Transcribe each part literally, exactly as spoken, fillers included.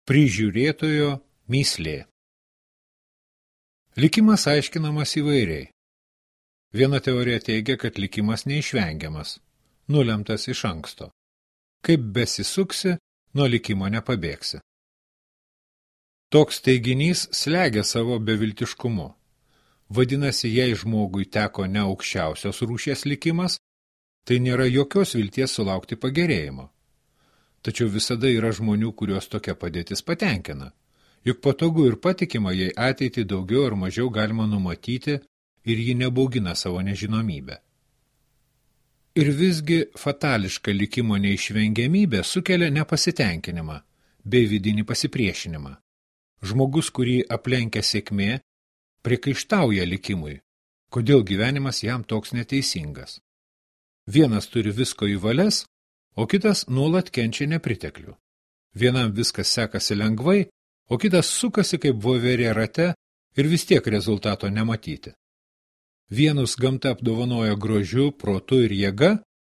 Prižiūrėtojo mįslė. Likimas aiškinamas įvairiai. Viena teorija teigia, kad likimas neišvengiamas, nulemtas iš anksto. Kaip besisuksi, nuo likimo nepabėgsi. Toks teiginys slegia savo beviltiškumu. Vadinasi, jei žmogui teko ne aukščiausios rūšies likimas, tai nėra jokios vilties sulaukti pagerėjimo. Tačiau visada yra žmonių, kuriuos tokia padėtis patenkina. Juk patogu ir patikima, jei ateitį daugiau ar mažiau galima numatyti ir ji nebaugina savo nežinomybę. Ir visgi fatališka likimo neišvengiamybė sukelia nepasitenkinimą bei vidinį pasipriešinimą. Žmogus, kurį aplenkia sėkmė, priekaištauja likimui, kodėl gyvenimas jam toks neteisingas. Vienas turi visko į valias, o kitas nuolat kenčia nepriteklių. Vienam viskas sekasi lengvai, o kitas sukasi kaip voverė rate ir vis tiek rezultato nematyti. Vienus gamta apdovanoja grožiu, protu ir jėga,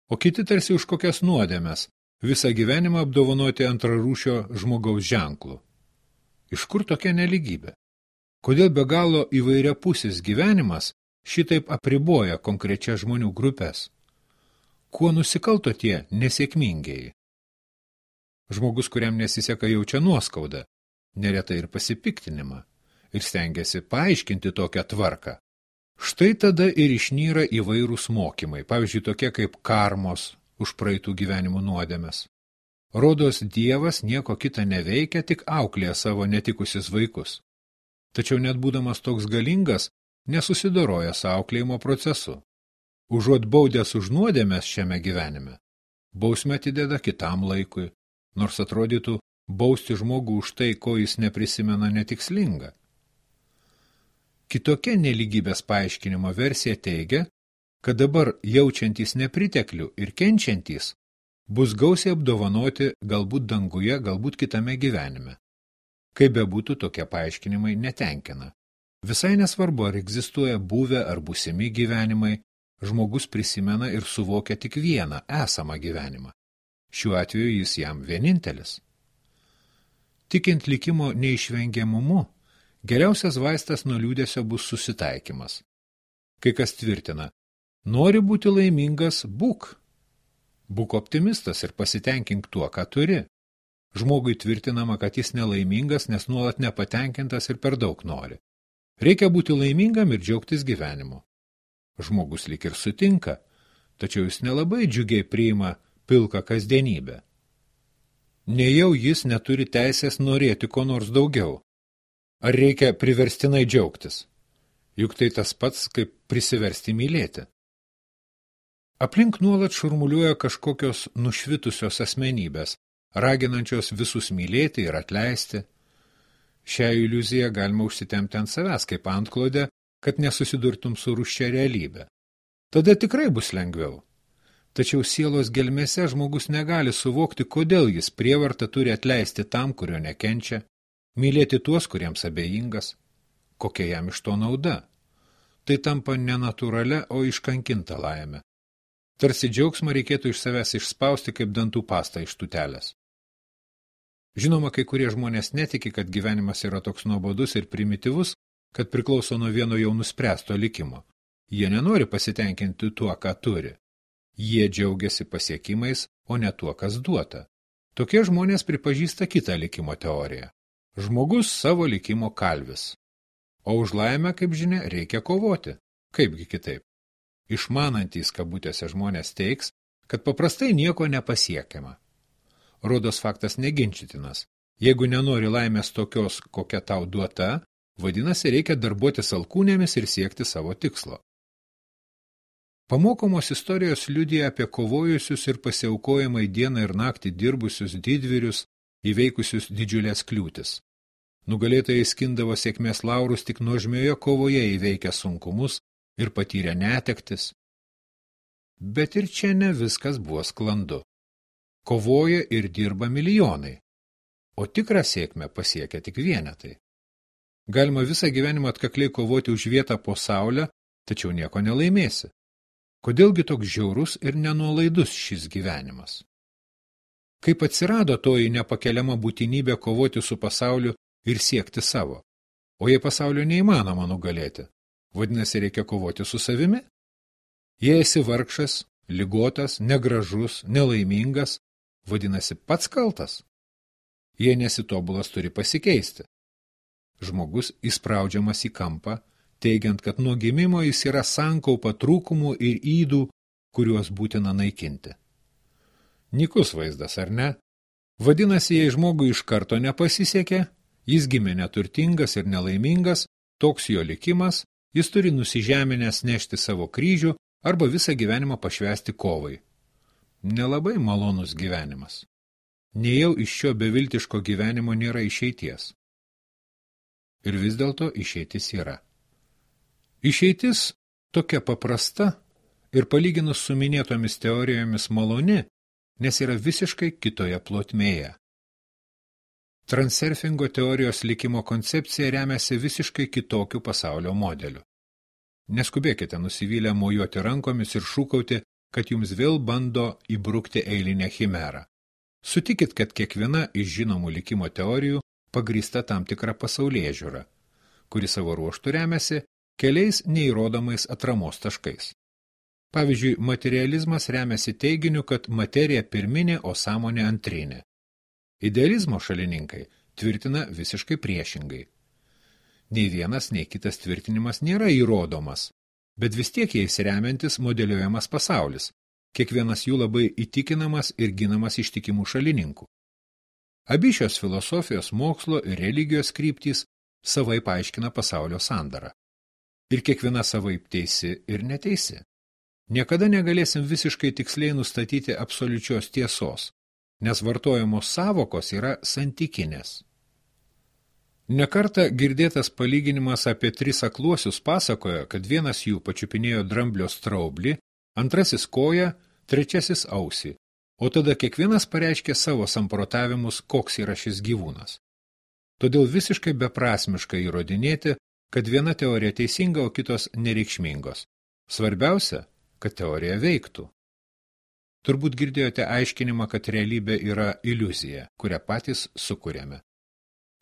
o kiti tarsi už kokias nuodėmes, visą gyvenimą apdovanoti antrarūšio žmogaus ženklų. Iš kur tokia neligybė? Kodėl be galo įvairiapusis gyvenimas šitaip apriboja konkrečias žmonių grupės? Kuo nusikalto tie nesėkmingieji? Žmogus, kuriam nesiseka, jaučia nuoskaudą, neretai ir pasipiktinimą, ir stengiasi paaiškinti tokią tvarką. Štai tada ir išnyra įvairūs mokymai, pavyzdžiui, tokie kaip karmos už praeitų gyvenimų nuodėmes. Rodos Dievas nieko kita neveikia, tik auklėja savo netikusius vaikus. Tačiau net būdamas toks galingas, nesusidoroja su auklėjimo procesu. Užuot baudęs už nuodėmes šiame gyvenime, bausmę atideda kitam laikui, nors atrodytų bausti žmogų už tai, ko jis neprisimena, netikslinga. Kitokia nelygybės paaiškinimo versija teigia, kad dabar jaučiantys nepriteklių ir kenčiantys bus gausiai apdovanoti galbūt danguje, galbūt kitame gyvenime. Kaip bebūtų, tokie paaiškinimai netenkina. Visai nesvarbu, ar egzistuoja buvę ar būsimi gyvenimai, žmogus prisimena ir suvokia tik vieną esamą gyvenimą. Šiuo atveju jis jam vienintelis. Tikint likimo neišvengiamumu, geriausias vaistas nuo liūdesio bus susitaikymas. Kai kas tvirtina, nori būti laimingas, būk. Būk optimistas ir pasitenkink tuo, ką turi. Žmogui tvirtinama, kad jis nelaimingas, nes nuolat nepatenkintas ir per daug nori. Reikia būti laimingam ir džiaugtis gyvenimu. Žmogus lyg ir sutinka, tačiau jis nelabai džiugiai priima pilką kasdienybę. Nejau jis neturi teisės norėti ko nors daugiau. Ar reikia priverstinai džiaugtis? Juk tai tas pats, kaip prisiversti mylėti. Aplink nuolat šurmuliuoja kažkokios nušvitusios asmenybės, raginančios visus mylėti ir atleisti. Šią iliuziją galima užsitemti ant savęs kaip antklodę, kad nesusidurtum su rūsčia realybė. Tada tikrai bus lengviau. Tačiau sielos gelmėse žmogus negali suvokti, kodėl jis prievarta turi atleisti tam, kurio nekenčia, mylėti tuos, kuriems abejingas. Kokia jam iš to nauda? Tai tampa nenatūralia, o iškankinta laimė. Tarsi džiaugsmą reikėtų iš savęs išspausti kaip dantų pastą iš tūtelės. Žinoma, kai kurie žmonės netiki, kad gyvenimas yra toks nuobodus ir primityvus, kad priklauso nuo vieno jau nuspręsto likimo. Jie nenori pasitenkinti tuo, ką turi. Jie džiaugiasi pasiekimais, o ne tuo, kas duota. Tokie žmonės pripažįsta kitą likimo teoriją. Žmogus savo likimo kalvis. O už laimę, kaip žinia, reikia kovoti. Kaipgi kitaip? Išmanantys kabutėse žmonės teiks, kad paprastai nieko nepasiekiama. Rodos faktas neginčytinas. Jeigu nenori laimės tokios, kokia tau duota, vadinasi, reikia darbuotis alkūnėmis ir siekti savo tikslo. Pamokomos istorijos liudija apie kovojusius ir pasiaukojimai dieną ir naktį dirbusius didvyrius, įveikusius didžiulės kliūtis. Nugalėtojai skindavo sėkmės laurus tik nuožmioje kovoje įveikę sunkumus ir patyrę netektis. Bet ir čia ne viskas buvo sklandu. Kovoja ir dirba milijonai, o tikrą sėkmę pasiekia tik vienetai. Galima visą gyvenimą atkakliai kovoti už vietą po saulę, tačiau nieko nelaimėsi. Kodėlgi toks žiaurus ir nenuolaidus šis gyvenimas? Kaip atsirado toji nepakeliama būtinybė kovoti su pasauliu ir siekti savo? O jei pasaulio neįmanoma nugalėti, vadinasi, reikia kovoti su savimi? Jei esi vargšas, ligotas, negražus, nelaimingas, vadinasi, pats kaltas? Jei nesitobulas, turi pasikeisti. Žmogus įspraudžiamas į kampą, teigiant, kad nuo gimimo jis yra sankaupa trūkumų ir ydų, kuriuos būtina naikinti. Nykus vaizdas, ar ne? Vadinasi, jei žmogui iš karto nepasisekė, jis gimė neturtingas ir nelaimingas, toks jo likimas, jis turi nusižeminęs nešti savo kryžių arba visą gyvenimą pašvęsti kovai. Nelabai malonus gyvenimas. Nejau iš šio beviltiško gyvenimo nėra išeities. Ir vis dėlto išeitis yra. Išeitis tokia paprasta ir palyginus su minėtomis teorijomis maloni, nes yra visiškai kitoje plotmėje. Transurfingo teorijos likimo koncepcija remiasi visiškai kitokiu pasaulio modeliu. Neskubėkite nusivylę mojuoti rankomis ir šūkauti, kad jums vėl bando įbrukti eilinę chimerą. Sutikit, kad kiekviena iš žinomų likimo teorijų pagrįsta tam tikrą pasaulėžiūrą, kuri savo ruožtu remiasi keliais neįrodomais atramos taškais. Pavyzdžiui, materializmas remiasi teiginiu, kad materija pirminė, o sąmonė antrinė. Idealizmo šalininkai tvirtina visiškai priešingai. Nei vienas, nei kitas tvirtinimas nėra įrodomas, bet vis tiek jais remiantis modeliuojamas pasaulis, kiekvienas jų labai įtikinamas ir ginamas ištikimų šalininkų. Abi šios filosofijos, mokslo ir religijos kryptys savai paaiškina pasaulio sandarą. Ir kiekviena savaip teisi ir neteisi. Niekada negalėsim visiškai tiksliai nustatyti absoliučios tiesos, nes vartojamos sąvokos yra santykinės. Nekartą girdėtas palyginimas apie tris akluosius pasakoja, kad vienas jų pačiupinėjo dramblio straublį, antrasis koją, trečiasis ausį, o tada kiekvienas pareiškė savo samprotavimus, koks yra šis gyvūnas. Todėl visiškai beprasmiška įrodinėti, kad viena teorija teisinga, o kitos nereikšmingos. Svarbiausia, kad teorija veiktų. Turbūt girdėjote aiškinimą, kad realybė yra iliuzija, kurią patys sukuriame.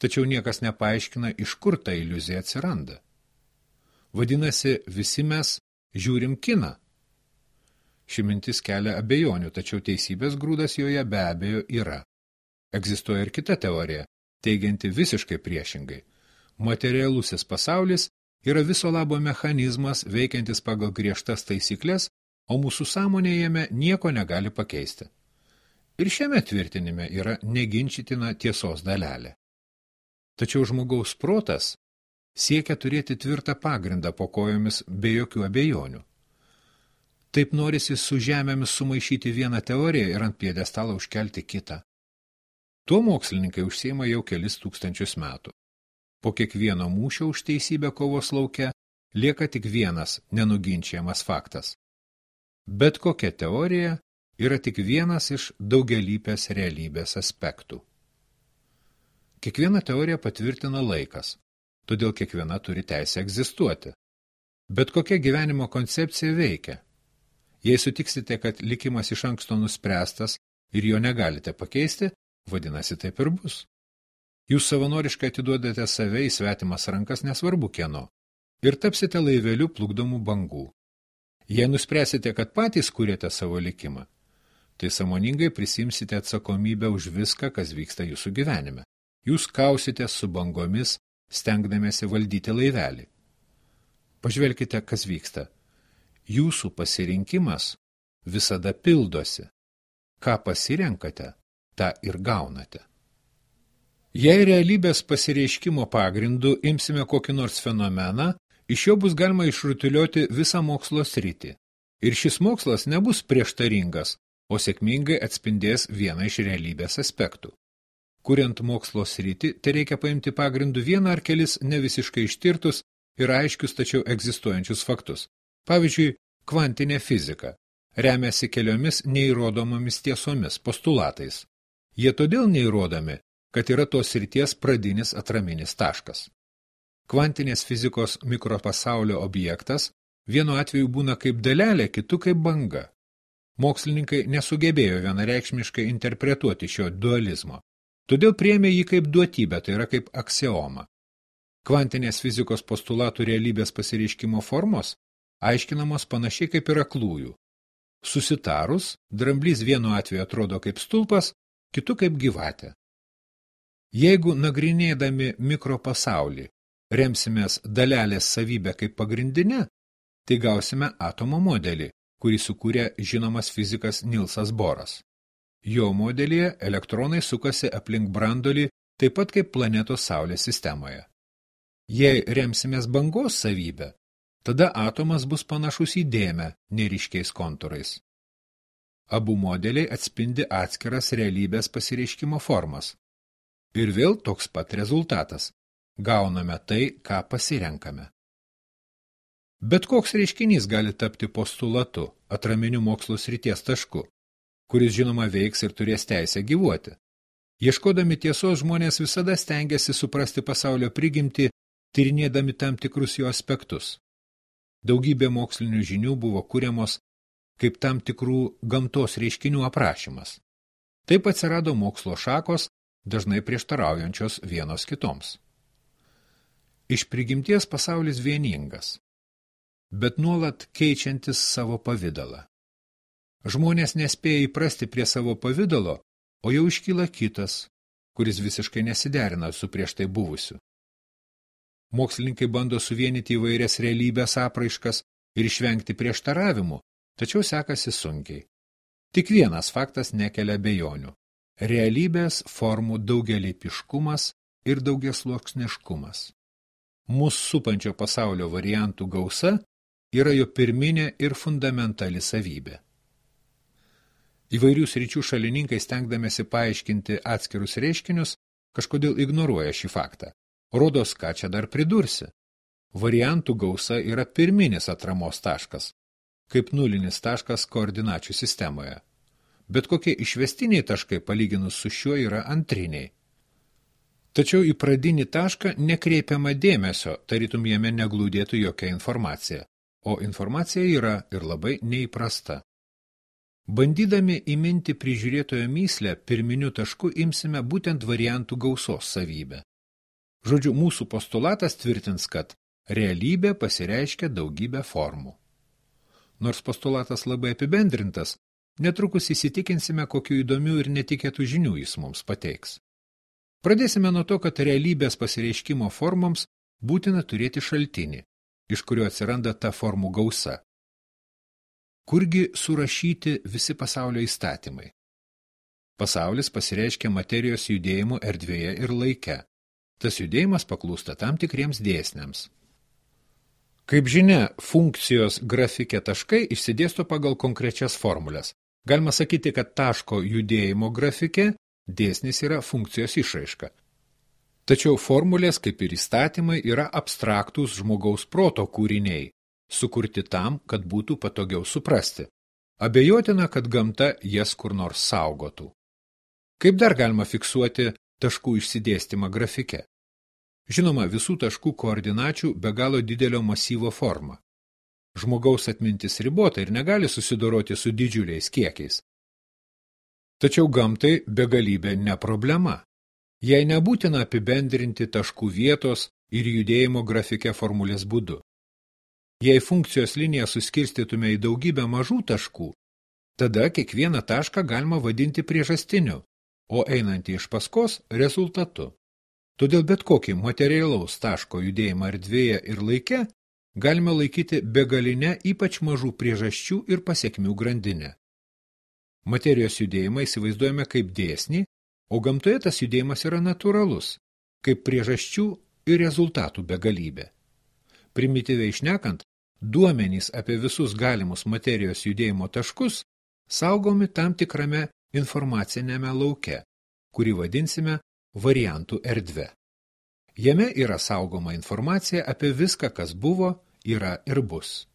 Tačiau niekas nepaaiškina, iš kur ta iliuzija atsiranda. Vadinasi, visi mes žiūrim kiną. Ši mintis kelia abejonių, tačiau teisybės grūdas joje be abejo yra. Egzistuoja ir kita teorija, teigianti visiškai priešingai. Materialusis pasaulis yra viso labo mechanizmas, veikiantis pagal griežtas taisyklės, o mūsų sąmonė jame nieko negali pakeisti. Ir šiame tvirtinime yra neginčitina tiesos dalelė. Tačiau žmogaus protas siekia turėti tvirtą pagrindą po kojomis be jokių abejonių. Taip norisi su žemėmis sumaišyti vieną teoriją ir ant pjedestalo užkelti kitą. Tuo mokslininkai užsiima jau kelis tūkstančius metų. Po kiekvieno mūšio už teisybę kovos lauke lieka tik vienas nenuginčiamas faktas. Bet kokia teorija yra tik vienas iš daugialypės realybės aspektų. Kiekviena teorija patvirtina laikas, todėl kiekviena turi teisę egzistuoti. Bet kokia gyvenimo koncepcija veikia. Jei sutiksite, kad likimas iš anksto nuspręstas ir jo negalite pakeisti, vadinasi taip ir bus. Jūs savanoriškai atiduodate save į svetimas rankas nesvarbu kieno ir tapsite laiveliu plukdomų bangų. Jei nuspręsite, kad patys kūrėte savo likimą, tai sąmoningai prisimsite atsakomybę už viską, kas vyksta jūsų gyvenime. Jūs kausite su bangomis, stengdamiesi valdyti laivelį. Pažvelkite, kas vyksta. Jūsų pasirinkimas visada pildosi. Ką pasirenkate, tą ir gaunate. Jei realybės pasireiškimo pagrindu imsime kokį nors fenomeną, iš jo bus galima išrutulioti visą mokslo sritį. Ir šis mokslas nebus prieštaringas, o sėkmingai atspindės vieną iš realybės aspektų. Kuriant mokslo sritį, tai reikia paimti pagrindų vieną ar kelis nevisiškai ištirtus ir aiškius, tačiau egzistuojančius faktus. Pavyzdžiui, kvantinė fizika remiasi keliomis neįrodomomis tiesomis, postulatais. Jie todėl neįrodomi, kad yra tos srities pradinis atraminis taškas. Kvantinės fizikos mikropasaulio objektas vienu atveju būna kaip dalelė, kitu kaip banga. Mokslininkai nesugebėjo vienareikšmiškai interpretuoti šio dualizmo, todėl priėmė jį kaip duotybę, tai yra kaip aksiomą. Kvantinės fizikos postulatų realybės pasireiškimo formos aiškinamos panašiai kaip ir aklųjų. Susitarus, dramblys vienu atveju atrodo kaip stulpas, kitu kaip gyvatė. Jeigu nagrinėdami mikropasaulį remsimės dalelės savybę kaip pagrindinę, tai gausime atomo modelį, kurį sukūrė žinomas fizikas Nilsas Boras. Jo modelyje elektronai sukasi aplink brandolį taip pat kaip planetos Saulės sistemoje. Jei remsimės bangos savybę, tada atomas bus panašus į dėmę neryškiais kontūrais. Abu modeliai atspindi atskiras realybės pasireiškimo formas. Ir vėl toks pat rezultatas. Gauname tai, ką pasirenkame. Bet koks reiškinys gali tapti postulatu, atraminiu mokslo srities tašku, kuris žinoma veiks ir turės teisę gyvuoti. Ieškodami tiesos žmonės visada stengiasi suprasti pasaulio prigimtį, tyrinėdami tam tikrus jo aspektus. Daugybė mokslinių žinių buvo kuriamos kaip tam tikrų gamtos reiškinių aprašymas. Taip atsirado mokslo šakos, dažnai prieštaraujančios vienos kitoms. Iš prigimties pasaulis vieningas, bet nuolat keičiantis savo pavidalą. Žmonės nespėja įprasti prie savo pavidalo, o jau iškyla kitas, kuris visiškai nesiderina su prieš tai buvusiu. Mokslininkai bando suvienyti įvairias realybės apraiškas ir išvengti prieštaravimų, tačiau sekasi sunkiai. Tik vienas faktas nekelia abejonių – realybės formų daugialypiškumas ir daugiasluoksniškumas. Mūsų supančio pasaulio variantų gausa yra jo pirminė ir fundamentali savybė. Įvairių sričių šalininkai stengdamėsi paaiškinti atskirus reiškinius, kažkodėl ignoruoja šį faktą. Rodos, ką čia dar pridursi. Variantų gausa yra pirminis atramos taškas, kaip nulinis taškas koordinačių sistemoje. Bet kokie išvestiniai taškai palyginus su šiuo yra antriniai. Tačiau į pradinį tašką nekreipiama dėmesio, tarytum jame neglūdėtų jokia informacija, o informacija yra ir labai neįprasta. Bandydami įminti prižiūrėtojo myslę, pirminiu tašku imsime būtent variantų gausos savybę. Žodžiu, mūsų postulatas tvirtins, kad realybė pasireiškia daugybę formų. Nors postulatas labai apibendrintas, netrukus įsitikinsime, kokių įdomių ir netikėtų žinių jis mums pateiks. Pradėsime nuo to, kad realybės pasireiškimo formoms būtina turėti šaltinį, iš kurio atsiranda ta formų gausa. Kurgi surašyti visi pasaulio įstatymai? Pasaulis pasireiškia materijos judėjimu erdvėje ir laike. Tas judėjimas paklūsta tam tikriems dėsniams. Kaip žinia, funkcijos grafike taškai išsidėsto pagal konkrečias formulės. Galima sakyti, kad taško judėjimo grafike dėsnis yra funkcijos išraiška. Tačiau formulės, kaip ir įstatymai, yra abstraktūs žmogaus proto kūriniai, sukurti tam, kad būtų patogiau suprasti. Abejotina, kad gamta jas kur nors saugotų. Kaip dar galima fiksuoti taškų išsidėstymą grafike? Žinoma, visų taškų koordinačių be galo didelio masyvo forma. Žmogaus atmintis ribota ir negali susidoroti su didžiuliais kiekiais. Tačiau gamtai begalybė ne problema. Jai nebūtina apibendrinti taškų vietos ir judėjimo grafike formulės būdu. Jei funkcijos liniją suskirstytume į daugybę mažų taškų, tada kiekvieną tašką galima vadinti priežastiniu, o einantį iš paskos rezultatu. Todėl bet kokį materialaus taško judėjimą erdvėje ir laike galime laikyti begalinę ypač mažų priežasčių ir pasekmių grandinę. Materijos judėjimą įsivaizduojame kaip dėsnį, o gamtoje tas judėjimas yra natūralus, kaip priežasčių ir rezultatų begalybė. Primityviai šnekant, duomenys apie visus galimus materijos judėjimo taškus saugomi tam tikrame informacinėme lauke, kurį vadinsime variantų erdve. Jame yra saugoma informacija apie viską, kas buvo, yra ir bus.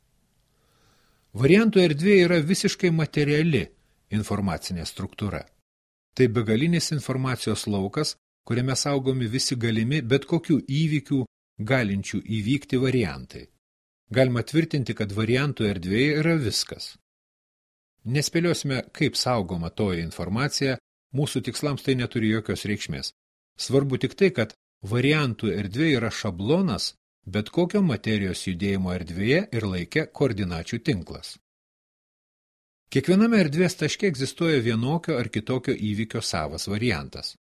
Variantų erdvė yra visiškai materiali informacinė struktūra. Tai begalinis informacijos laukas, kuriame saugomi visi galimi bet kokių įvykių galinčių įvykti variantai. Galima tvirtinti, kad variantų erdvėje yra viskas. Nespėliosime, kaip saugoma toji informacija, mūsų tikslams tai neturi jokios reikšmės. Svarbu tik tai, kad variantų erdvė yra šablonas, bet kokio materijos judėjimo erdvėje ir laike koordinačių tinklas. Kiekviename erdvės taške egzistuoja vienokio ar kitokio įvykio savas variantas.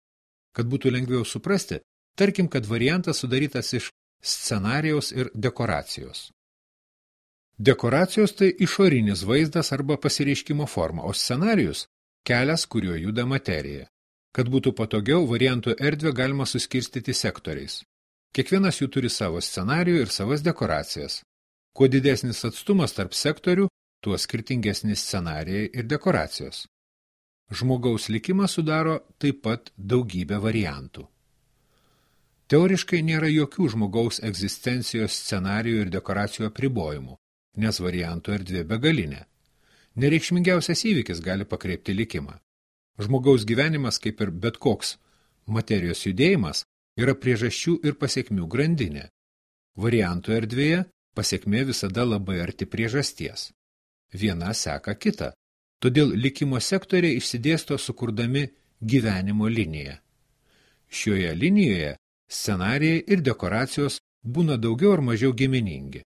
Kad būtų lengviau suprasti, tarkim, kad variantas sudarytas iš scenarijaus ir dekoracijos. Dekoracijos tai išorinis vaizdas arba pasireiškimo forma, o scenarijus – kelias, kuriuo juda materija. Kad būtų patogiau, variantų erdvę galima suskirstyti sektoriais. Kiekvienas jų turi savo scenarijų ir savas dekoracijas. Kuo didesnis atstumas tarp sektorių, tuo skirtingesni scenarijai ir dekoracijos. Žmogaus likimą sudaro taip pat daugybė variantų. Teoriškai nėra jokių žmogaus egzistencijos scenarijų ir dekoracijų apribojimų, nes variantų erdvė begalinė. Nereikšmingiausias įvykis gali pakreipti likimą. Žmogaus gyvenimas, kaip ir bet koks materijos judėjimas, yra priežasčių ir pasekmių grandinė. Variantų erdvėje pasekmė visada labai arti priežasties. Viena seka kitą, todėl likimo sektoriai išsidėsto sukurdami gyvenimo liniją. Šioje linijoje scenarijai ir dekoracijos būna daugiau ar mažiau giminingi.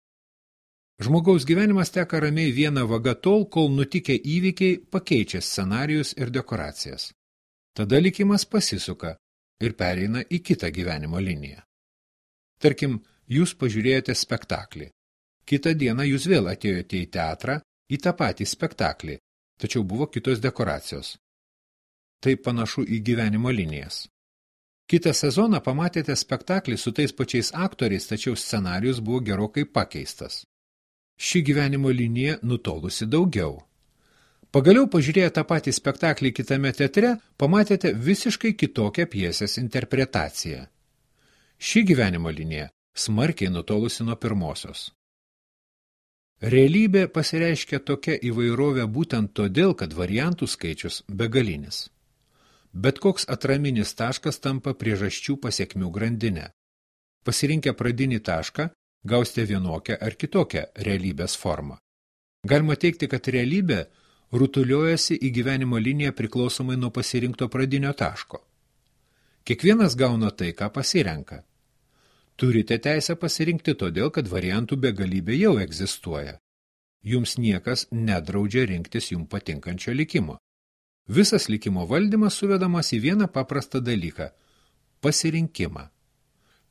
Žmogaus gyvenimas teka ramiai viena vaga tol, kol nutikę įvykiai pakeičia scenarijus ir dekoracijas. Tada likimas pasisuka ir pereina į kitą gyvenimo liniją. Tarkim, jūs pažiūrėjote spektaklį. Kitą dieną jūs vėl atėjote į teatrą, į tą patį spektaklį, tačiau buvo kitos dekoracijos. Tai panašu į gyvenimo linijas. Kitą sezoną pamatėte spektaklį su tais pačiais aktoriais, tačiau scenarijus buvo gerokai pakeistas. Ši gyvenimo linija nutolusi daugiau. Pagaliau pažiūrėję tą patį spektaklį kitame teatre, pamatėte visiškai kitokią pjesės interpretaciją. Ši gyvenimo linija smarkiai nutolusi nuo pirmosios. Realybė pasireiškia tokia įvairovė būtent todėl, kad variantų skaičius begalinis. Bet koks atraminis taškas tampa priežasčių pasekmių grandinę. Pasirinkę pradinį tašką, gausite vienokią ar kitokią realybės formą. Galima teikti, kad realybė rutuliojasi į gyvenimo liniją priklausomai nuo pasirinkto pradinio taško. Kiekvienas gauna tai, ką pasirenka. Turite teisę pasirinkti todėl, kad variantų begalybė jau egzistuoja. Jums niekas nedraudžia rinktis jums patinkančio likimo. Visas likimo valdymas suvedamas į vieną paprastą dalyką – pasirinkimą.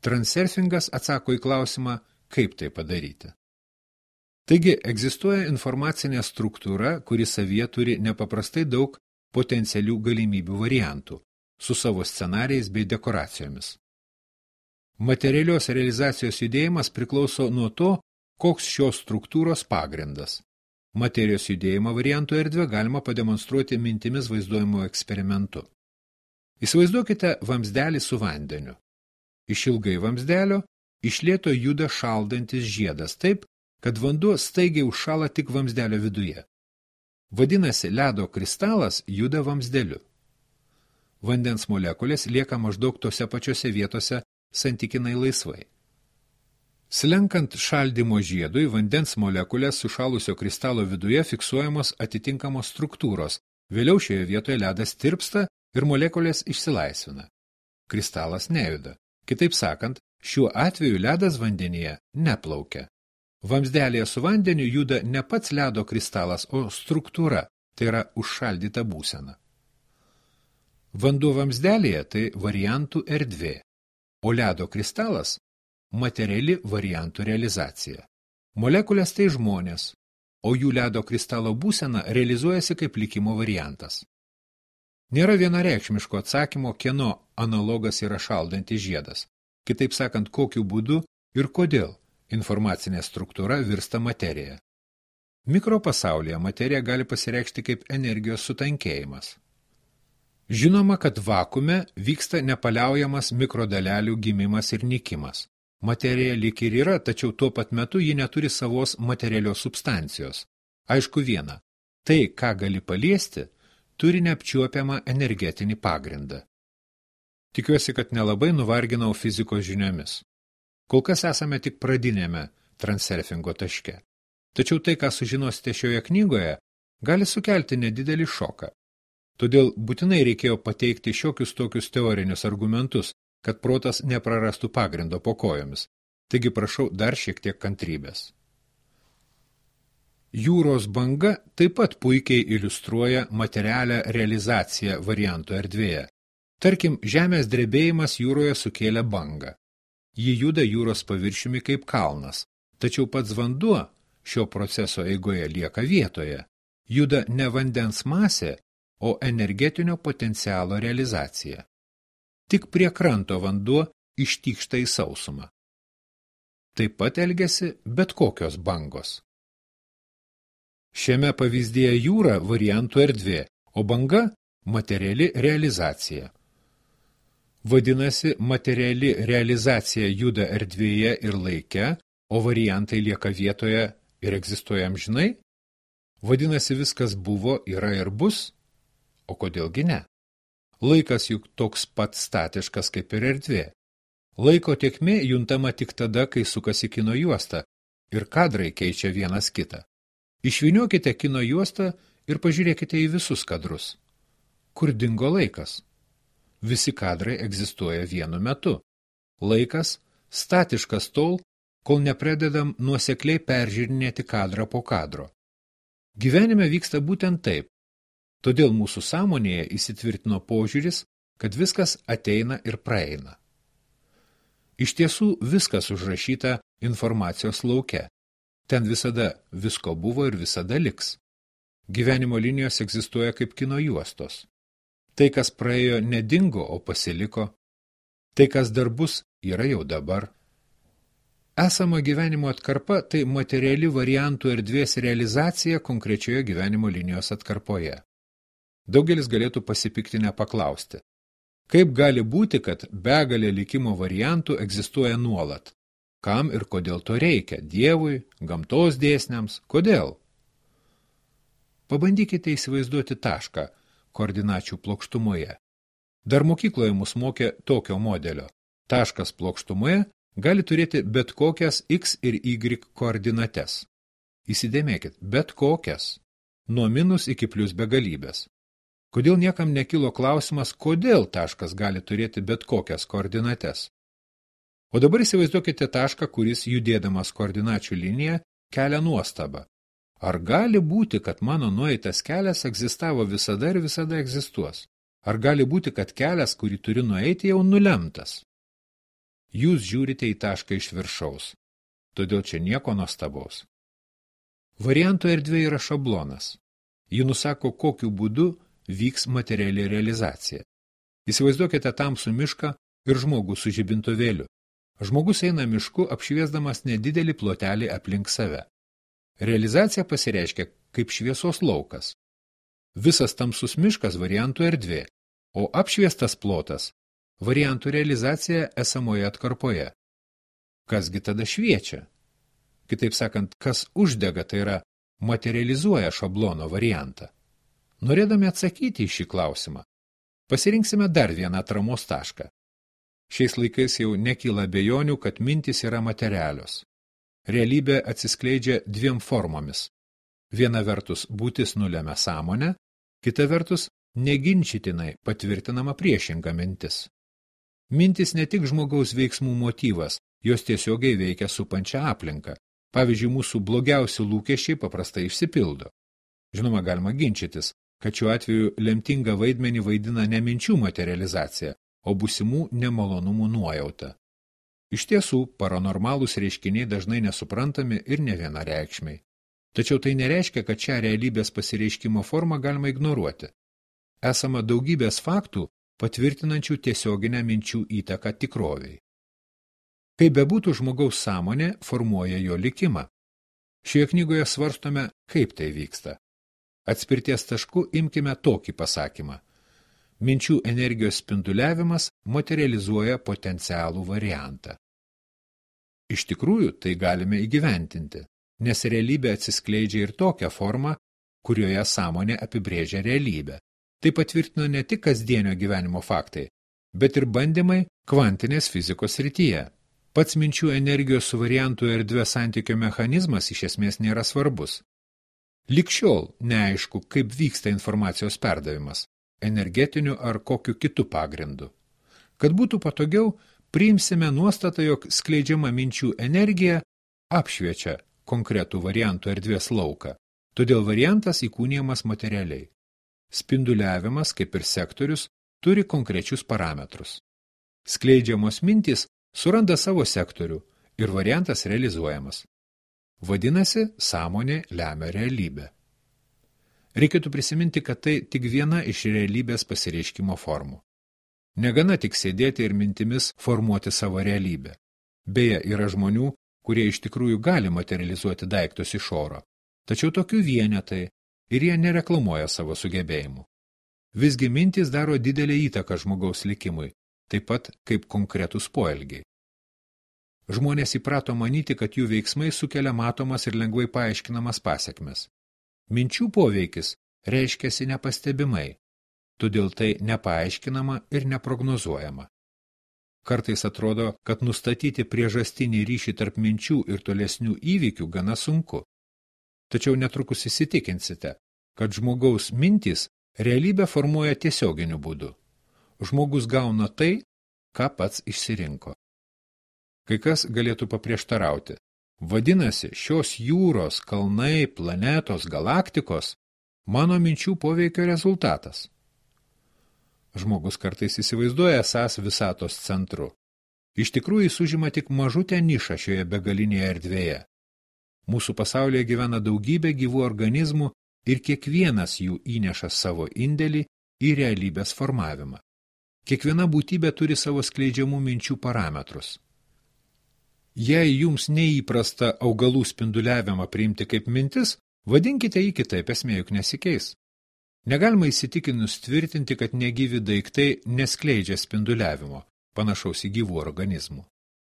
Transurfingas atsako į klausimą, kaip tai padaryti. Taigi, egzistuoja informacinė struktūra, kuri savyje turi nepaprastai daug potencialių galimybių variantų, su savo scenarijais bei dekoracijomis. Materialios realizacijos judėjimas priklauso nuo to, koks šios struktūros pagrindas. Materijos judėjimo variantų erdvę galima pademonstruoti mintimis vaizduojimo eksperimentu. Įsivaizduokite vamzdelį su vandeniu. Išilgai vamzdelio iš lėto juda šaldantis žiedas taip, kad vanduo staigiai užšąla tik vamzdelio viduje. Vadinasi, ledo kristalas juda vamzdeliu. Vandens molekulės lieka maždaug tose pačiose vietose santykinai laisvai. Slenkant šaldymo žiedui, vandens molekulės sušalusio kristalo viduje fiksuojamos atitinkamos struktūros, vėliau šioje vietoje ledas tirpsta ir molekulės išsilaisvina. Kristalas nejuda. Kitaip sakant, šiuo atveju ledas vandenyje neplaukia. Vamzdelėje su vandeniu juda ne pats ledo kristalas, o struktūra, tai yra užšaldyta būsena. Vanduo vamzdelėje tai variantų erdvė, o ledo kristalas – materiali variantų realizacija. Molekulės tai žmonės, o jų ledo kristalo būsena realizuojasi kaip likimo variantas. Nėra vienareikšmiško atsakymo, kieno analogas yra šaldantis žiedas. Kitaip sakant, kokiu būdu ir kodėl informacinė struktūra virsta materija. Mikropasaulyje materija gali pasireikšti kaip energijos sutankėjimas. Žinoma, kad vakume vyksta nepaliaujamas mikrodalelių gimimas ir nykimas. Materija lyg ir yra, tačiau tuo pat metu ji neturi savos materialios substancijos. Aišku viena, tai, ką gali paliesti, turi neapčiuopiamą energetinį pagrindą. Tikiuosi, kad nelabai nuvarginau fizikos žiniomis. Kol kas esame tik pradinėme transurfingo taške. Tačiau tai, ką sužinosite šioje knygoje, gali sukelti nedidelį šoką. Todėl būtinai reikėjo pateikti šiokius tokius teorinius argumentus, kad protas neprarastų pagrindo po kojomis. Taigi prašau dar šiek tiek kantrybės. Jūros banga taip pat puikiai iliustruoja materialią realizaciją varianto erdvėje. Tarkim, žemės drebėjimas jūroje sukėlė bangą. Ji juda jūros paviršiumi kaip kalnas, tačiau pats vanduo šio proceso eigoje lieka vietoje. Juda ne vandens masė, o energetinio potencialo realizacija. Tik prie kranto vanduo ištykšta į sausumą. Taip pat elgiasi bet kokios bangos. Šiame pavyzdyje jūra variantų erdvė, o banga materiali realizacija. Vadinasi, materiali realizacija juda erdvėje ir laike, o variantai lieka vietoje ir egzistuoja amžinai? Vadinasi, viskas buvo, yra ir bus? O kodėlgi ne? Laikas juk toks pat statiškas kaip ir erdvė. Laiko tėkmė juntama tik tada, kai sukasi kino juosta ir kadrai keičia vienas kitą. Išvyniokite kino juostą ir pažiūrėkite į visus kadrus. Kur dingo laikas? Visi kadrai egzistuoja vienu metu. Laikas statiškas tol, kol nepradedam nuosekliai peržiūrinėti kadrą po kadro. Gyvenime vyksta būtent taip. Todėl mūsų sąmonėje įsitvirtino požiūris, kad viskas ateina ir praeina. Iš tiesų viskas užrašyta informacijos lauke. Ten visada visko buvo ir visada liks. Gyvenimo linijos egzistuoja kaip kino juostos. Tai, kas praėjo, nedingo, o pasiliko. Tai, kas dar bus, yra jau dabar. Esama gyvenimo atkarpa – tai materiali variantų erdvės realizacija konkrečioje gyvenimo linijos atkarpoje. Daugelis galėtų pasipiktinę paklausti. Kaip gali būti, kad begalė likimo variantų egzistuoja nuolat? Kam ir kodėl to reikia? Dievui, gamtos dėsniams? Kodėl? Pabandykite įsivaizduoti tašką koordinačių plokštumoje. Dar mokykloje mus mokė tokio modelio. Taškas plokštumoje gali turėti bet kokias x ir y koordinates. Įsidėmėkit, bet kokias. Nuo minus iki plius begalybės. Kodėl niekam nekilo klausimas, kodėl taškas gali turėti bet kokias koordinates? O dabar įsivaizduokite tašką, kuris judėdamas koordinačių liniją kelia nuostabą. Ar gali būti, kad mano nueitas kelias egzistavo visada ir visada egzistuos? Ar gali būti, kad kelias, kurį turi nueiti, jau nulemtas? Jūs žiūrite į tašką iš viršaus, todėl čia nieko nuostabaus. Varianto erdvė yra šablonas. Ji nusako, kokiu būdu vyks materiali realizacija. Įsivaizduokite tamsų mišką ir žmogų su žibintuvėliu. Žmogus eina mišku, apšviesdamas nedidelį plotelį aplink save. Realizacija pasireiškia kaip šviesos laukas. Visas tamsus miškas variantų erdvė, o apšviestas plotas variantų realizacija esamoje atkarpoje. Kasgi tada šviečia? Kitaip sakant, kas uždega, tai yra materializuoja šablono variantą. Norėdami atsakyti į šį klausimą, pasirinksime dar vieną atramos tašką. Šiais laikais jau nekyla abejonių, kad mintys yra materialios. Realybė atsiskleidžia dviem formomis. Viena vertus būtis nulemia sąmonę, kita vertus neginčytinai patvirtinama priešinga mintis. Mintis ne tik žmogaus veiksmų motyvas, jos tiesiogiai veikia supančią aplinką. Pavyzdžiui, mūsų blogiausi lūkesčiai paprastai išsipildo. Žinoma, galima ginčytis, kad šiuo atveju lemtingą vaidmenį vaidina ne minčių materializacija, o būsimų nemalonumų nuojauta. Iš tiesų, paranormalūs reiškiniai dažnai nesuprantami ir nevienareikšmiai. Tačiau tai nereiškia, kad šią realybės pasireiškimo formą galima ignoruoti. Esama daugybės faktų, patvirtinančių tiesioginę minčių įtaką tikroviai. Kaip bebūtų, žmogaus sąmonė formuoja jo likimą. Šioje knygoje svarstome, kaip tai vyksta. Atspirties tašku imkime tokį pasakymą. Minčių energijos spinduliavimas materializuoja potencialų variantą. Iš tikrųjų, tai galime įgyventinti, nes realybė atsiskleidžia ir tokią formą, kurioje sąmonė apibrėžia realybę. Tai patvirtino ne tik kasdienio gyvenimo faktai, bet ir bandymai kvantinės fizikos srityje. Pats minčių energijos su variantų erdvė santykio mechanizmas iš esmės nėra svarbus. Lik šiol neaišku, kaip vyksta informacijos perdavimas, energetiniu ar kokiu kitu pagrindu. Kad būtų patogiau, priimsime nuostatą, jog skleidžiama minčių energija apšviečia konkretų variantų erdvės lauką, todėl variantas įkūnijamas materialiai. Spinduliavimas, kaip ir sektorius, turi konkrečius parametrus. Skleidžiamos mintys suranda savo sektorių ir variantas realizuojamas. Vadinasi, sąmonė lemia realybę. Reikėtų prisiminti, kad tai tik viena iš realybės pasireiškimo formų. Negana tik sėdėti ir mintimis formuoti savo realybę. Beje, yra žmonių, kurie iš tikrųjų gali materializuoti daiktus iš oro, tačiau tokių vienetai ir jie nereklamuoja savo sugebėjimų. Visgi mintys daro didelę įtaką žmogaus likimui, taip pat kaip konkretūs poelgiai. Žmonės įprato manyti, kad jų veiksmai sukelia matomas ir lengvai paaiškinamas pasekmes. Minčių poveikis reiškiasi nepastebimai, todėl tai nepaaiškinama ir neprognozuojama. Kartais atrodo, kad nustatyti priežastinį ryšį tarp minčių ir tolesnių įvykių gana sunku. Tačiau netrukus įsitikinsite, kad žmogaus mintys realybę formuoja tiesioginiu būdu. Žmogus gauna tai, ką pats išsirinko. Kai kas galėtų paprieštarauti. Vadinasi, šios jūros, kalnai, planetos, galaktikos mano minčių poveikio rezultatas. Žmogus kartais įsivaizduoja esąs visatos centru. Iš tikrųjų jis užima tik mažutę nišą šioje begalinėje erdvėje. Mūsų pasaulyje gyvena daugybė gyvų organizmų ir kiekvienas jų įneša savo indėlį į realybės formavimą. Kiekviena būtybė turi savo skleidžiamų minčių parametrus. Jei jums neįprasta augalų spinduliavimą priimti kaip mintis, vadinkite jį kitaip, esmė juk nesikeis. Negalima įsitikinus tvirtinti, kad negyvi daiktai neskleidžia spinduliavimo, panašaus į gyvų organizmų.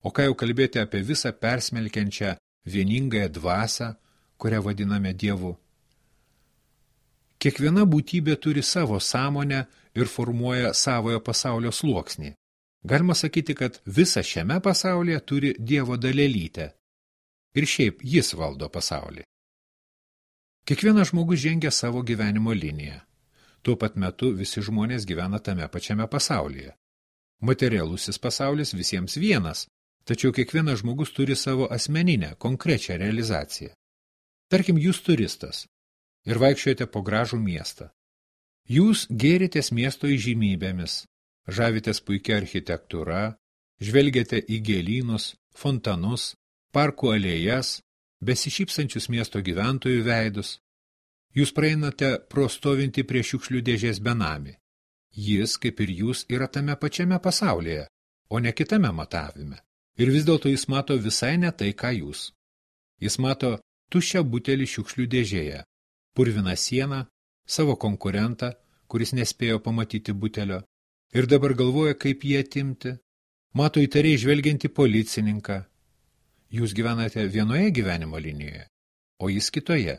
O ką jau kalbėti apie visą persmelkiančią vieningąją dvasią, kurią vadiname Dievu. Kiekviena būtybė turi savo sąmonę ir formuoja savojo pasaulio sluoksnį. Galima sakyti, kad visa šiame pasaulyje turi Dievo dalelytę. Ir šiaip jis valdo pasaulį. Kiekvienas žmogus žengia savo gyvenimo liniją. Tuo pat metu visi žmonės gyvena tame pačiame pasaulyje. Materialusis pasaulis visiems vienas, tačiau kiekvienas žmogus turi savo asmeninę, konkrečią realizaciją. Tarkim, jūs turistas ir vaikščiojate po gražų miestą. Jūs gėritės miesto įžymybėmis, žavitės puikia architektūra, žvelgiate į gėlynus, fontanus, parkų alėjas, besišypsančius miesto gyventojų veidus. Jūs praeinate pro stovintį prie šiukšlių dėžės benamį. Jis, kaip ir jūs, yra tame pačiame pasaulyje, o ne kitame matavime. Ir vis dėlto jis mato visai ne tai, ką jūs. Jis mato tuščią butelį šiukšlių dėžėje, purviną sieną, savo konkurentą, kuris nespėjo pamatyti butelio, ir dabar galvoja, kaip jį atimti. Mato įtariai žvelgiantį policininką. Jūs gyvenate vienoje gyvenimo linijoje, o jis kitoje.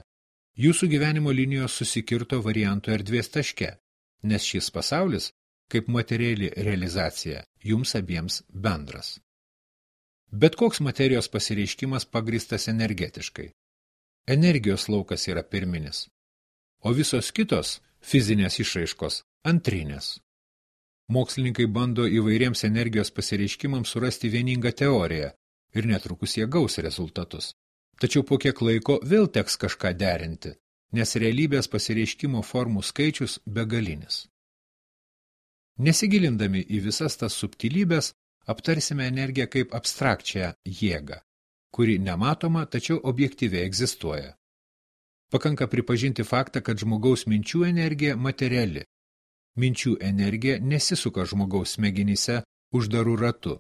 Jūsų gyvenimo linijos susikirto variantų erdvės taške, nes šis pasaulis, kaip materiali realizacija, jums abiems bendras. Bet koks materijos pasireiškimas pagristas energetiškai. Energijos laukas yra pirminis, o visos kitos fizinės išraiškos antrinės. Mokslininkai bando įvairiems energijos pasireiškimams surasti vieningą teoriją ir netrukus jie gaus rezultatus. Tačiau po kiek laiko vėl teks kažką derinti, nes realybės pasireiškimo formų skaičius begalinis. Nesigilindami į visas tas subtilybės, aptarsime energiją kaip abstrakčią jėgą, kuri nematoma, tačiau objektyviai egzistuoja. Pakanka pripažinti faktą, kad žmogaus minčių energija materiali. Minčių energija nesisuka žmogaus smegenyse uždarų ratu.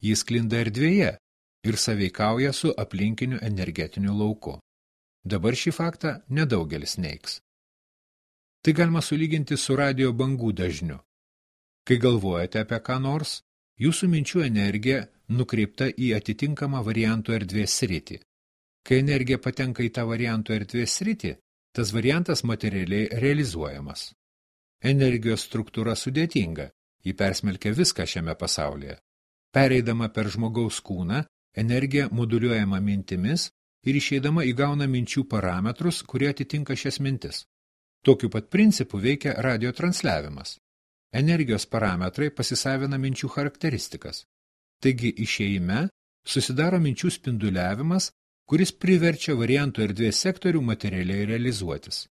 Jis sklinda erdvėje ir sąveikauja su aplinkiniu energetiniu lauku. Dabar šį faktą nedaugelis neigs. Tai galima sulyginti su radio bangų dažniu. Kai galvojate apie ką nors, jūsų minčių energija nukreipta į atitinkamą variantų erdvės sritį. Kai energija patenka į tą variantų erdvės sritį, tas variantas materialiai realizuojamas. Energijos struktūra sudėtinga, ji persmelkia viską šiame pasaulyje. Pereidama per žmogaus kūną, energija moduliuojama mintimis ir išeidama įgauna minčių parametrus, kurie atitinka šias mintis. Tokiu pat principu veikia radio transliavimas. Energijos parametrai pasisavina minčių charakteristikas. Taigi išėjime susidaro minčių spinduliavimas, kuris priverčia variantų erdvės sektorių materialiai realizuotis.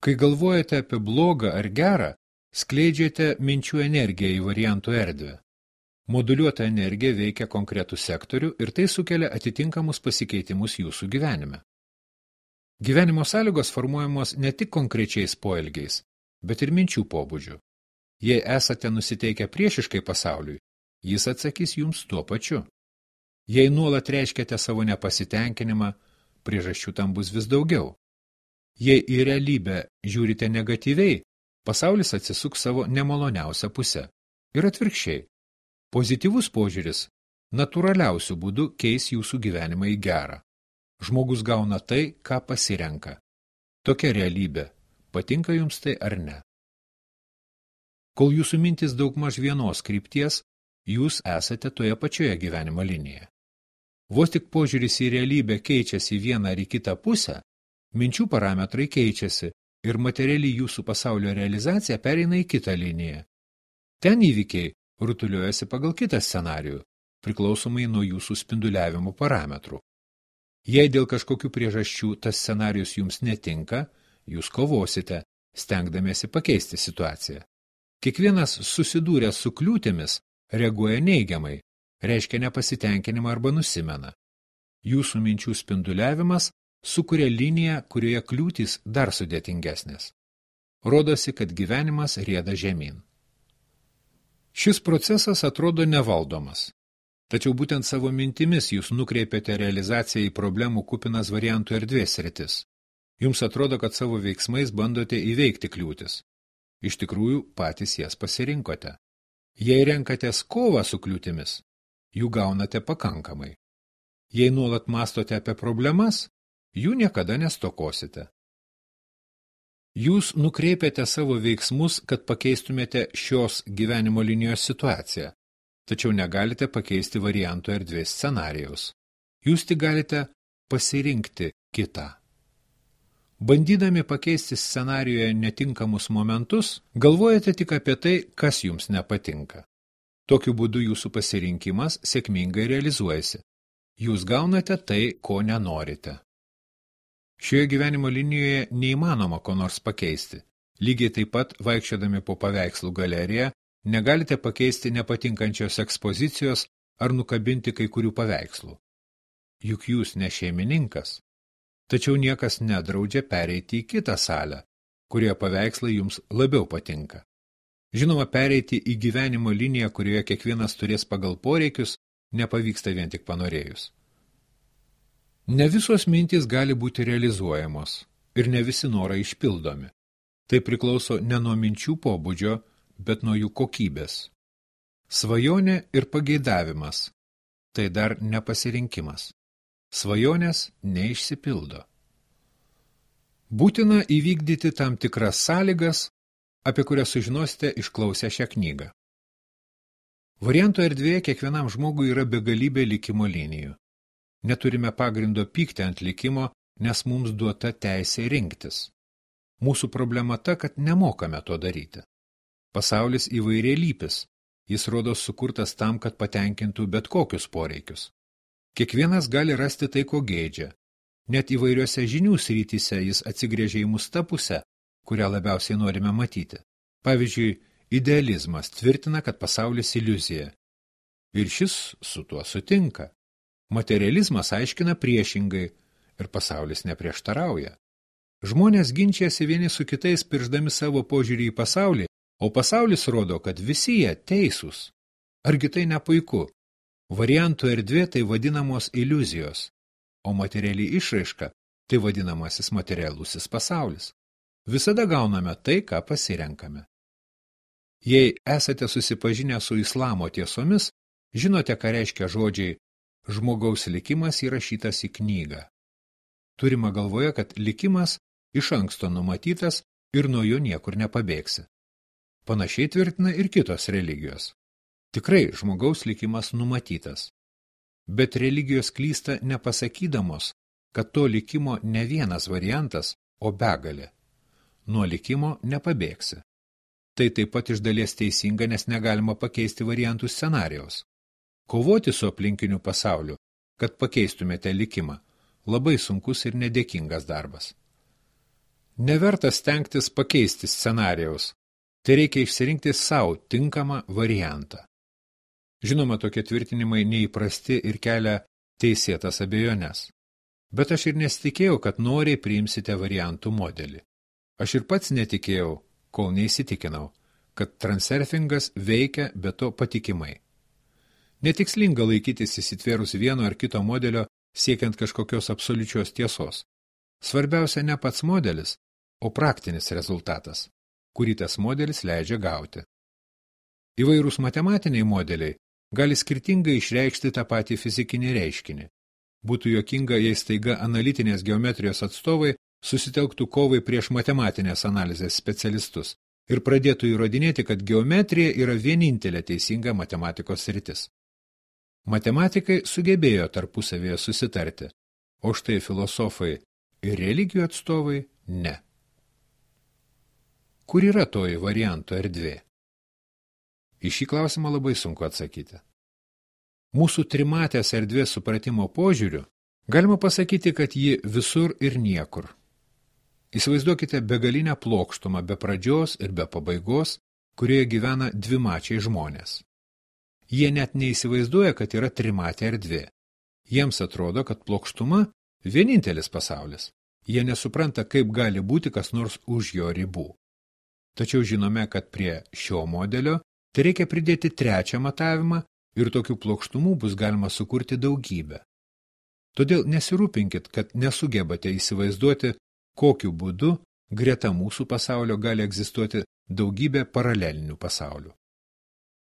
Kai galvojate apie blogą ar gerą, skleidžiate minčių energiją į variantų erdvę. Moduliuota energija veikia konkretų sektorių ir tai sukelia atitinkamus pasikeitimus jūsų gyvenime. Gyvenimo sąlygos formuojamos ne tik konkrečiais poelgiais, bet ir minčių pobūdžių. Jei esate nusiteikę priešiškai pasauliui, jis atsakys jums tuo pačiu. Jei nuolat reiškiate savo nepasitenkinimą, priežasčių tam bus vis daugiau. Jei į realybę žiūrite negatyviai, pasaulis atsisuks savo nemaloniausią pusę. Ir atvirkščiai. Pozityvus požiūris natūraliausių būdų keis jūsų gyvenimą į gerą. Žmogus gauna tai, ką pasirenka. Tokia realybė. Patinka jums tai ar ne? Kol jūsų mintis daugmaž vienos krypties, jūs esate toje pačioje gyvenimo linijoje. Vos tik požiūris į realybę keičiasi į vieną ar į kitą pusę, minčių parametrai keičiasi ir materiali jūsų pasaulio realizacija pereina į kitą liniją. Ten įvykiai rutuliuojasi pagal kitą scenarijų, priklausomai nuo jūsų spinduliavimo parametrų. Jei dėl kažkokių priežasčių tas scenarijus jums netinka, jūs kovosite, stengdamiesi pakeisti situaciją. Kiekvienas susidūręs su kliūtimis reaguoja neigiamai, reiškia nepasitenkinimą arba nusimena. Jūsų minčių spinduliavimas sukuria liniją, kurioje kliūtys dar sudėtingesnės. Rodosi, kad gyvenimas rieda žemyn. Šis procesas atrodo nevaldomas, tačiau būtent savo mintimis jūs nukreipiate realizaciją į problemų kupinas variantų erdvės sritis. Jums atrodo, kad savo veiksmais bandote įveikti kliūtis. Iš tikrųjų, patys jas pasirinkote. Jei renkatės kovą su kliūtimis, jų gaunate pakankamai. Jei nuolat mąstote apie problemas, jų niekada nestokosite. Jūs nukreipiate savo veiksmus, kad pakeistumėte šios gyvenimo linijos situaciją, tačiau negalite pakeisti variantų erdvės scenarijaus. Jūs tik galite pasirinkti kitą. Bandydami pakeisti scenarijoje netinkamus momentus, galvojate tik apie tai, kas jums nepatinka. Tokiu būdu jūsų pasirinkimas sėkmingai realizuojasi. Jūs gaunate tai, ko nenorite. Šioje gyvenimo linijoje neįmanoma ko nors pakeisti. Lygiai taip pat, vaikščiodami po paveikslų galeriją, negalite pakeisti nepatinkančios ekspozicijos ar nukabinti kai kurių paveikslų. Juk jūs ne šeimininkas. Tačiau niekas nedraudžia pereiti į kitą salę, kurioje paveikslai jums labiau patinka. Žinoma, pereiti į gyvenimo liniją, kurioje kiekvienas turės pagal poreikius, nepavyksta vien tik panorėjus. Ne visos mintys gali būti realizuojamos ir ne visi norai išpildomi. Tai priklauso ne nuo minčių pobūdžio, bet nuo jų kokybės. Svajonė ir pageidavimas – tai dar nepasirinkimas. Svajonės neišsipildo. Būtina įvykdyti tam tikras sąlygas, apie kurias sužinosite išklausę šią knygą. Variantų erdvėje kiekvienam žmogui yra begalybė likimo linijų. Neturime pagrindo pykti ant likimo, nes mums duota teisė rinktis. Mūsų problema ta, kad nemokame to daryti. Pasaulis įvairialypis, jis rodos sukurtas tam, kad patenkintų bet kokius poreikius. Kiekvienas gali rasti tai, ko geidžia. Net įvairiose žinių srityse jis atsigrėžia į mus tą pusę, kurią labiausiai norime matyti. Pavyzdžiui, idealizmas tvirtina, kad pasaulis iliuzija. Ir šis su tuo sutinka. Materializmas aiškina priešingai ir pasaulis neprieštarauja. Žmonės ginčiasi vieni su kitais, piršdami savo požiūrį į pasaulį, o pasaulis rodo, kad visi jie teisūs. Argi tai ne puiku? Variantų erdvė tai vadinamos iliuzijos, o materiali išraiška tai vadinamasis materialusis pasaulis. Visada gauname tai, ką pasirenkame. Jei esate susipažinę su islamo tiesomis, žinote, ką reiškia žodžiai žmogaus likimas įrašytas į knygą. Turima galvoje, kad likimas iš anksto numatytas ir nuo jo niekur nepabėgsi. Panašiai tvirtina ir kitos religijos. Tikrai žmogaus likimas numatytas. Bet religijos klysta nepasakydamos, kad to likimo ne vienas variantas, o begalė. Nuo likimo nepabėgsi. Tai taip pat iš dalies teisinga, nes negalima pakeisti variantų scenarijaus. Kovoti su aplinkiniu pasauliu, kad pakeistumėte likimą, labai sunkus ir nedėkingas darbas. Neverta stengtis pakeisti scenarijaus, tai reikia išsirinkti savo tinkamą variantą. Žinoma, tokie tvirtinimai neįprasti ir kelia teisėtas abejones. Bet aš ir nesitikėjau, kad noriai priimsite variantų modelį. Aš ir pats netikėjau, kol neįsitikinau, kad transurfingas veikia be to patikimai. Netikslinga laikytis įsitvėrus vieno ar kito modelio siekiant kažkokios absoliučios tiesos. Svarbiausia ne pats modelis, o praktinis rezultatas, kurį tas modelis leidžia gauti. Įvairūs matematiniai modeliai gali skirtingai išreikšti tą patį fizikinį reiškinį. Būtų juokinga, jei staiga analitinės geometrijos atstovai susitelktų kovai prieš matematinės analizės specialistus ir pradėtų įrodinėti, kad geometrija yra vienintelė teisinga matematikos sritis. Matematikai sugebėjo tarpusavėje susitarti, o štai filosofai ir religijų atstovai ne. Kur yra toji varianto erdvė? Į šį klausimą labai sunku atsakyti. Mūsų trimatės erdvės supratimo požiūriu galima pasakyti, kad ji visur ir niekur. Įsivaizduokite begalinę plokštumą be pradžios ir be pabaigos, kurioje gyvena dvimačiai žmonės. Jie net neįsivaizduoja, kad yra trimatė erdvė. Jiems atrodo, kad plokštuma vienintelis pasaulis. Jie nesupranta, kaip gali būti kas nors už jo ribų. Tačiau žinome, kad prie šio modelio tai reikia pridėti trečią matavimą ir tokių plokštumų bus galima sukurti daugybę. Todėl nesirūpinkit, kad nesugebate įsivaizduoti, kokiu būdu greta mūsų pasaulio gali egzistuoti daugybė paralelinių pasaulių.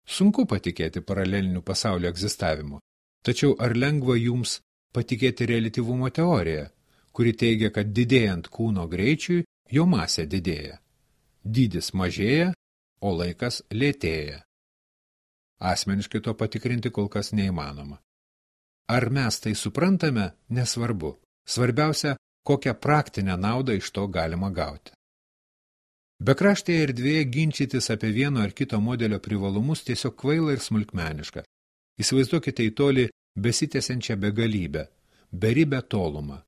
Sunku patikėti paralelinių pasaulio egzistavimu, tačiau ar lengva jums patikėti reliatyvumo teoriją, kuri teigia, kad didėjant kūno greičiui, jo masė didėja. Dydis mažėja, o laikas lėtėja. Asmeniškai to patikrinti kol kas neįmanoma. Ar mes tai suprantame, nesvarbu. Svarbiausia, kokią praktinę naudą iš to galima gauti. Bekraštėje erdvėje ginčytis apie vieno ar kito modelio privalumus tiesiog kvaila ir smulkmeniška. Įsivaizduokite į tolį besitęsiančią begalybę, beribę tolumą.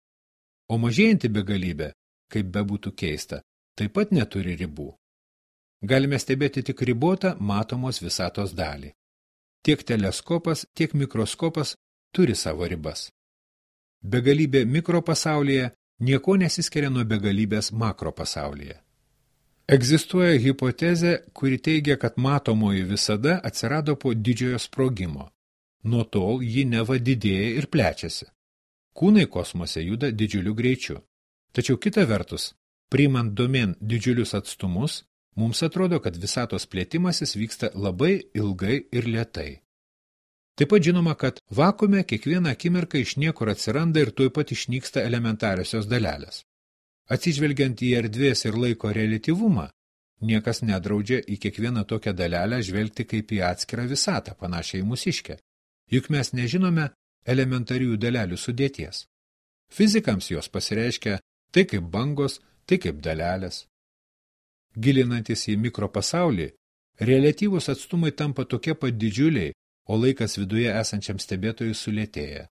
O mažėjanti begalybė, kaip bebūtų keista, taip pat neturi ribų. Galime stebėti tik ribotą matomos visatos dalį. Tiek teleskopas, tiek mikroskopas turi savo ribas. Begalybė mikropasaulyje nieko nesiskiria nuo begalybės makropasaulyje. Egzistuoja hipotezė, kuri teigia, kad matomoji visada atsirado po didžiojo sprogimo. Nuo tol ji neva didėja ir plečiasi. Kūnai kosmose juda didžiuliu greičiu. Tačiau kita vertus, priimant domėn didžiulius atstumus, mums atrodo, kad visatos plėtimasis vyksta labai ilgai ir lėtai. Taip pat žinoma, kad vakuume kiekvieną akimirką iš niekur atsiranda ir tuoj pat išnyksta elementariosios dalelės. Atsižvelgiant į erdvės ir laiko reliatyvumą, niekas nedraudžia į kiekvieną tokią dalelę žvelgti kaip į atskirą visatą, panašiai į mūsiškę. Juk mes nežinome elementarių dalelių sudėties. Fizikams jos pasireiškia tai kaip bangos, tai kaip dalelės. Gilinantis į mikropasaulį, reliatyvūs atstumai tampa tokie pat didžiuliai, o laikas viduje esančiam stebėtojui sulėtėja.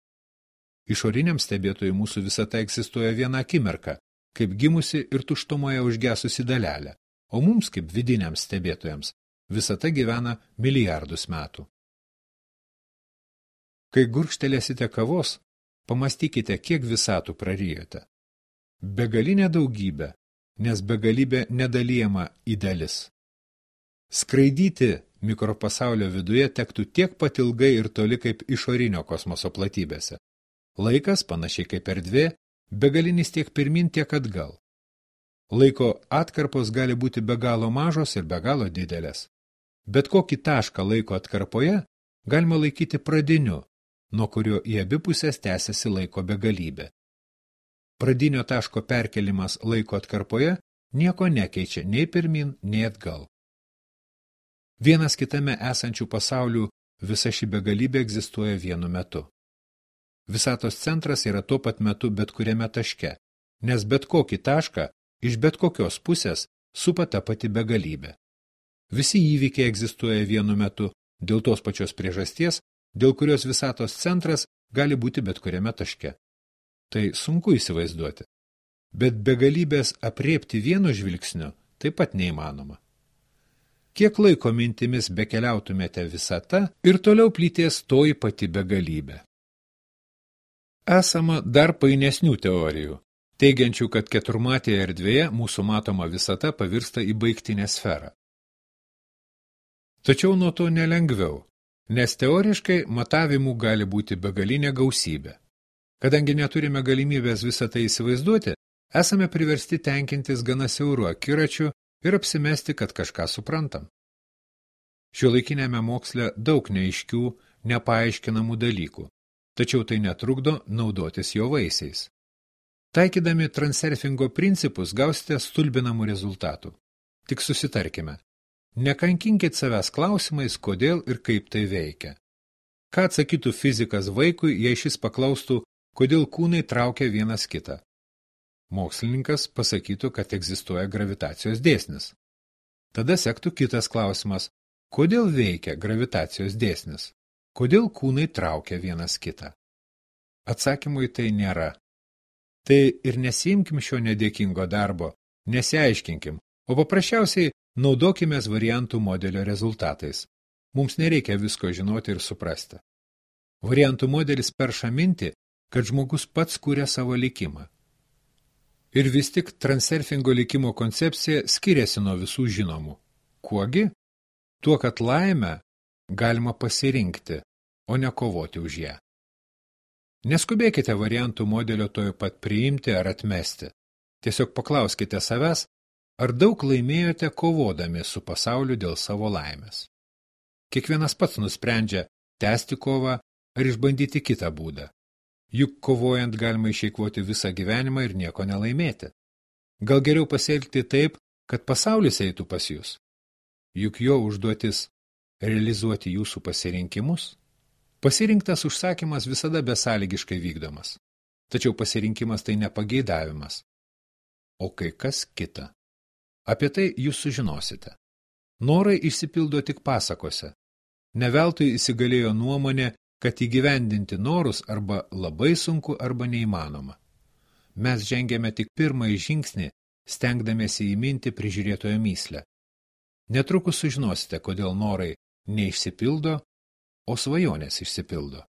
Išoriniam stebėtojui mūsų visata egzistuoja viena akimirka, kaip gimusi ir tuštumoje užgesusi dalelė, o mums kaip vidiniams stebėtojams visata gyvena milijardus metų. Kai gurkštelėsite kavos, pamastykite, kiek visatų prarijote. Begalinė daugybė, nes begalybė nedalijama į dalis. Skraidyti mikropasaulio viduje tektų tiek pat ilgai ir toli kaip išorinio kosmoso platybėse. Laikas, panašiai kaip erdvė, begalinis tiek pirmin, tiek atgal. Laiko atkarpos gali būti be galo mažos ir be galo didelės. Bet kokį tašką laiko atkarpoje galima laikyti pradiniu, nuo kurio į abi pusės tęsiasi laiko begalybė. Pradinio taško perkelimas laiko atkarpoje nieko nekeičia nei pirmin, nei atgal. Vienas kitame esančių pasaulių visa ši begalybė egzistuoja vienu metu. Visatos centras yra tuo pat metu bet kuriame taške, nes bet kokį tašką iš bet kokios pusės supa ta pati begalybė. Visi įvykiai egzistuoja vienu metu dėl tos pačios priežasties, dėl kurios visatos centras gali būti bet kuriame taške. Tai sunku įsivaizduoti, bet begalybės apriepti vienu žvilgsniu taip pat neįmanoma. Kiek laiko mintimis bekeliautumėte visata ir toliau plytės toji pati begalybė. Esama dar painesnių teorijų, teigiančių, kad keturmatėje erdvėje mūsų matoma visata pavirsta į baigtinę sferą. Tačiau nuo to nelengviau, nes teoriškai matavimų gali būti begalinė gausybė. Kadangi neturime galimybės visą tai įsivaizduoti, esame priversti tenkintis gana siauru akiračiu ir apsimesti, kad kažką suprantam. Šiuolaikinėme moksle daug neaiškių, nepaaiškinamų dalykų, tačiau tai netrukdo naudotis jo vaisiais. Taikydami transurfingo principus gausite stulbinamų rezultatų. Tik susitarkime. Nekankinkit savęs klausimais, kodėl ir kaip tai veikia. Ką atsakytų fizikas vaikui, jei šis paklaustų, kodėl kūnai traukia vienas kitą? Mokslininkas pasakytų, kad egzistuoja gravitacijos dėsnis. Tada sektų kitas klausimas, kodėl veikia gravitacijos dėsnis? Kodėl kūnai traukia vienas kitą? Atsakymų į tai nėra. Tai ir nesiimkim šio nedėkingo darbo, nesiaiškinkim, o paprasčiausiai naudokimės variantų modelio rezultatais. Mums nereikia visko žinoti ir suprasti. Variantų modelis perša mintį, kad žmogus pats kuria savo likimą. Ir vis tik transurfingo likimo koncepcija skiriasi nuo visų žinomų. Kuogi? Tuo, kad laimę galima pasirinkti, o ne kovoti už ją. Neskubėkite variantų modelio tojo pat priimti ar atmesti. Tiesiog paklauskite savęs, ar daug laimėjote kovodami su pasauliu dėl savo laimės. Kiekvienas pats nusprendžia tęsti kovą ar išbandyti kitą būdą. Juk kovojant galima išeikvoti visą gyvenimą ir nieko nelaimėti. Gal geriau pasielgti taip, kad pasaulis eitų pas jūs? Juk jo užduotis realizuoti jūsų pasirinkimus. Pasirinktas užsakymas visada besąlygiškai vykdomas. Tačiau pasirinkimas tai nepageidavimas. O kai kas kita. Apie tai jūs sužinosite. Norai išsipildo tik pasakose. Neveltui įsigalėjo nuomonė, kad įgyvendinti norus arba labai sunku arba neįmanoma. Mes žengėme tik pirmąjį žingsnį, stengdamiesi įminti prižiūrėtojo myslę. Netrukus sužinosite, kodėl norai neišsipildo, o svajonės išsipildo.